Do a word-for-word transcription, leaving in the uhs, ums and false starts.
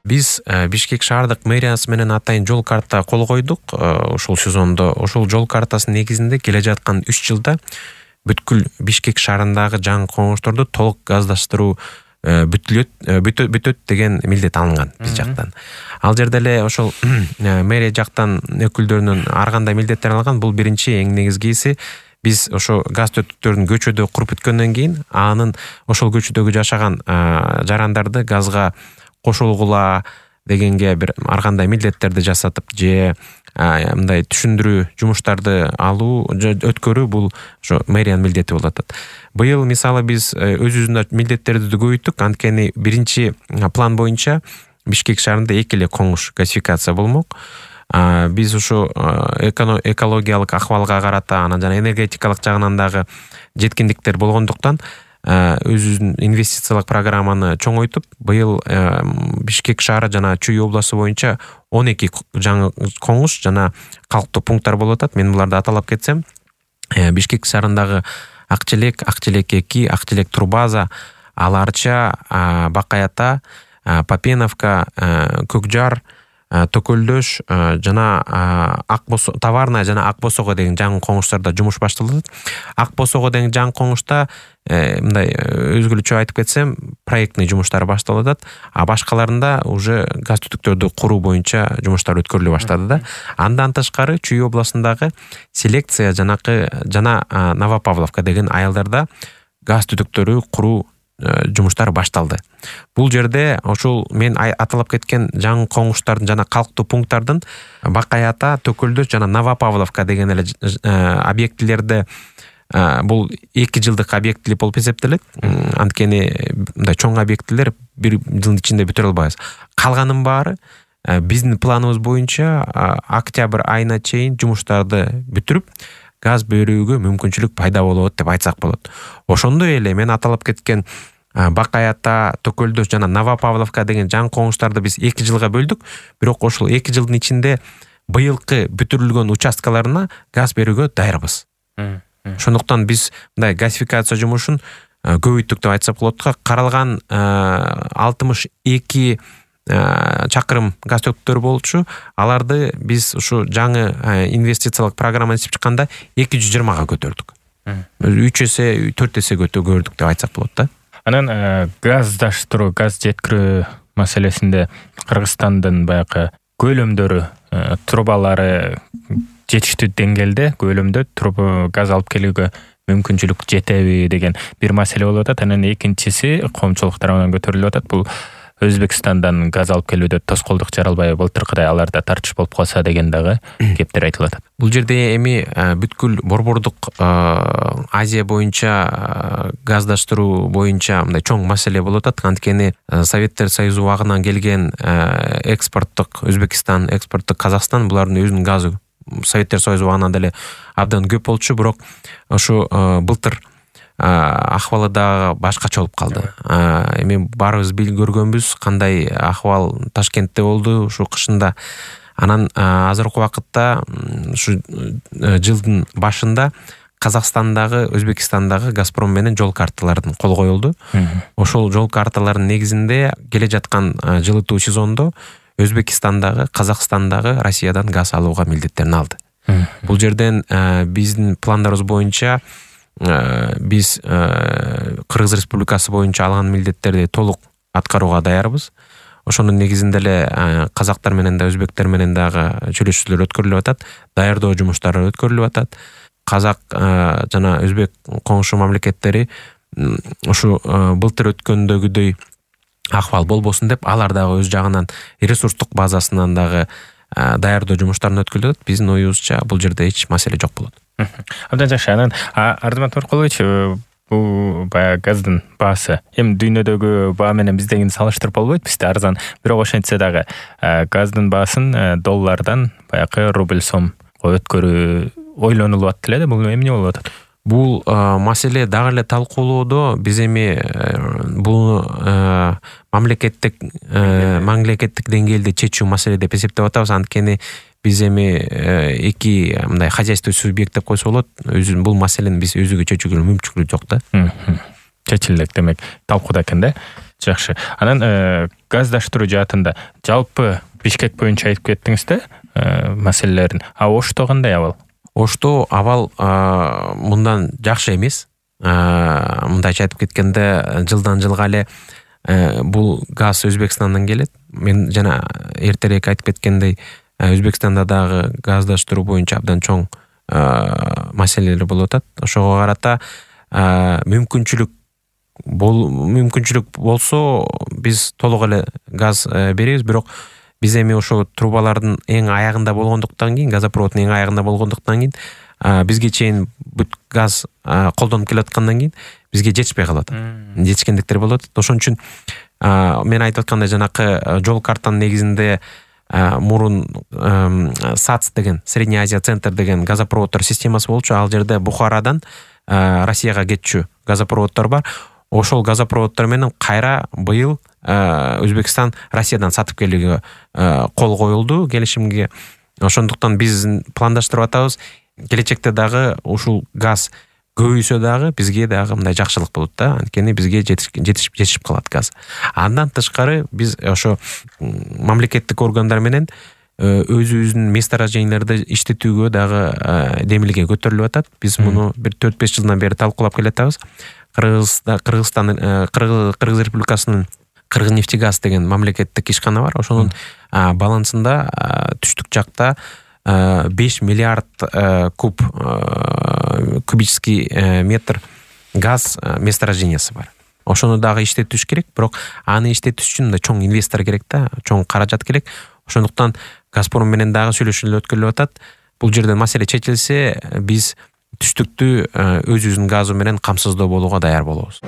Биз Бишкек шаардык мэриясы менен атайын жол карта кол койдук ушул сезондо. Ошол жол картасынын негизинде келе жаткан үч жылда бүткүл Бишкек шаарындагы жаңы коңушторду толук газдаштыруу бүтүлөт бүтөт деген милдет алынган биз жактан. Ал жерде эле ошол мэрия жактан өкүлдөрүнүн ар кандай милдеттер алынган. Бул биринчи эң негизгиси биз ошо газ түтүктөрүн көчөдө куруп бүткөндөн кийин анын ошол көчөдөгү жашаган жарандарды газга кошулгула дегенге бир ар кандай милдеттерди жасатып же мындай түшүндүрүү жумуштарды алуу өткөрүү бул ошо мэриянын милдети болуп атат. Быйыл мисалы биз өзүбүздүн милдеттерди көбөйттүк. Анткени биринчи план боюнча Бишкек шаарында эки эле коңуш газификация болмок. Биз ушу экологиялык акыбалга карата анан жана энергетикалык жагынан дагы жеткиндиктер болгондуктан өзүбүздүн инвестициялык программаны чоңойтуп, быйыл Бишкек шаары жана Чүй областы боюнча он эки жаңы коңуш жана калктуу пункттар болуп атат. Мен буларды аталап кетсем, Бишкек шаарындагы Акчелек, Акчелек эки, Акчелек Турбаза, Аларча, Бакаята, Попеновка, Көкжар, Төкөлдөш жана Акбосо товарная жана Акбосого деген жаңы коңуштарда жумуш башталат. Акбосого деген жаңы коңушта мындай өзгөлөчө айтып кетсем, проектный жумуштар башталып атат, а башкаларында уже газ түтүктөрдү куруу боюнча жумуштар өткөрүлө баштады да. Андан тышкары Чүй областындагы Селекция жанакы жана Новопавловка деген айылдарда газ түтүктөрү куруу жумуштар башталды. Бул жерде ошол мен аталап кеткен жаңы коңуштардын жана калктуу пункттардын Бакаята, Төкөлдөш жана Новопавловка деген эле объектилерди бул эки жылдык объектилер болуп эсептелет. Анткени мындай чоң объектилер бир жылдын ичинде бүтүрө албайбыз. Калганын баары биздин планыбыз боюнча октябрь айына чейин жумуштарды бүтүрүп газ берүүгө мүмкүнчүлүк пайда болот деп айтсак болот. Ошондой эле мен аталап кеткен Бакаята, Төкөлдөш жана Новопавловка деген жаңы коңуштарды биз эки жылга бөлдүк. Бирок ошол эки жылдын ичинде быйылкы бүтүрүлгөн участкаларына газ берүүгө даярбыз. Ошондуктан биз мындай газификация жумушун көбөйттүк деп айтсак болот. Каралган алтымыш эки чакырым газ түтүктөр болчу. Аларды биз ушу жаңы инвестициялык программаны иштеп чыкканда эки жүз жыйырмага көтөрдүк. үч эсе, төрт эсе көтөрдүк деп айтсак болот да. Анан газдаштыруу, газ жеткирүү маселесинде Кыргызстандын баягы көлөмдөрү, трубалары жетиштүү деңгээлде, көлөмдө труба газ алып келүүгө мүмкүнчүлүк жетеби деген бир маселе болуп атат. Анан экинчиси коомчулук тарабынан көтөрүлүп атат. Бул Өзбекстандан газ алып келүүдө тоскоолдук жаралбай былтыркыдай аларда тартыш болуп калса деген дагы кептер айтылып атат. Бул жерде эми бүткүл борбордук Азия боюнча газдаштыруу боюнча мындай чоң маселе болуп атат. Анткени Советтер Союзу убагынан келген экспорттук Өзбекстан, экспорттук Казакстан булардын өзүнүн газы Советтер Союзу убагынан деле абдан көп болчу, бирок ошо былтыр акыбалы дагы башкача болуп калды. Эми баарыбыз билип көргөнбүз кандай акыбал Ташкентте болду ушу кышында. Анан азыркы убакытта ушу жылдын башында Казакстандагы, Өзбекстандагы Газпром менен жол карталарын кол коюлду. Ошол жол карталарынын негизинде келе жаткан жылытуу сезондо Өзбекстандагы, Казакстандагы Россиядан газ алууга милдеттерин алды. Бул жерден биздин пландарыбыз боюнча биз Кыргыз Республикасы боюнча алган милдеттерди толук аткарууга даярбыз. Ошонун негизинде эле казактар менен да өзбектер менен дагы сүйлөшүүлөр өткөрүлүп атат, даярдоо жумуштары өткөрүлүп атат. Казак жана өзбек коңшу мамлекеттери ушу былтыр өткөндөгүдөй акыбал болбосун деп алар дагы өз жагынан ресурстук базасынан дагы даярдоо жумуштарын өткөрүп атат. Биздин оюбузча бул жерде эч маселе жок болот. Абдан жакшы. Анан Ардымат Оркулович, бул баягы газдын баасы эми дүйнөдөгү баа менен биздегини салыштырып болбойт, бизде арзан. Бирок ошентсе дагы газдын баасын доллардан баягы рубль сомго өткөрүү ойлонулуп атты эле да. Бул эмне болуп атат? Бул маселе дагы эле талкуулоодо. Биз эми бул мамлекеттик мамлекеттик деңгээлде чечүү маселе деп эсептеп атабыз. Анткени биз эми эки мындай хозяйство субъект деп койсо болот. Өзүн бул маселени биз өзүгө чечүүгө мүмкүнчүлүк жок да. Чечилет демек, талкууда экен да. Жакшы. Анан газдаштыруу жаатында жалпы Бишкек боюнча айтып кеттиңиз да маселелерин. А Ошто кандай абал? Ошто абал мындан жакшы эмес. Мындайча айтып кеткенде, жылдан жылга эле бул газ Өзбекстандан келет. Мен жана эртерээк айтып кеткендей, Өзбекстанда дагы газдаштыруу боюнча абдан чоң маселелер болуп атат. Ошого карата мүмкүнчүлүк бул мүмкүнчүлүк болсо биз толук эле газ беребиз, бирок биз эми ошо трубалардын эң аягында болгондуктан кийин, газопроводдун эң аягында болгондуктан кийин бизге чейин бүт газ колдонуп келаткандан кийин бизге жетишпей калат. Жетишкендиктер болуп атат. Ошон үчүн мен айтып аткандай жанакы жол картанын негизинде мурун САЦ деген, Средняя Азия центр деген газопроводдор системасы болчу. Ал жерде Бухарадан Россияга кетчү газопроводдор бар. Ошол газопроводдор менен кайра быйыл Өзбекстан Россиядан сатып келүүгө кол коюлду келишимге. Ошондуктан биз пландаштырып атабыз. Келечекте дагы ушул газ көбөйсө дагы бизге дагы мындай жакшылык болот да. Анткени бизге жетишип жетишип калат газ. Андан тышкары биз ошо мамлекеттик органдар менен өзүбүздүн месторожденияларды иштетүүгө дагы демилге көтөрүлүп атат. Биз муну бир төрт беш жылдан бери талкуулап келатабыз. Кыргызстан Кыргызстан Кыргыз Республикасынын Кыргызнефтегаз деген мамлекеттик ишкана бар. Ошонун балансында түштүк жакта беш миллиард куб кубический метр газ месторождениясы бар. Ошону дагы иштетиш керек, бирок аны иштетиш үчүн да чоң инвестор керек да, чоң каражат керек. Ошондуктан Газпром менен дагы сүйлөшүүлөр өткөрүлүп атат. Бул жерден маселе чечилсе, биз түштүктү өзүбүздүн газы менен камсыздоо болууга даяр болобуз.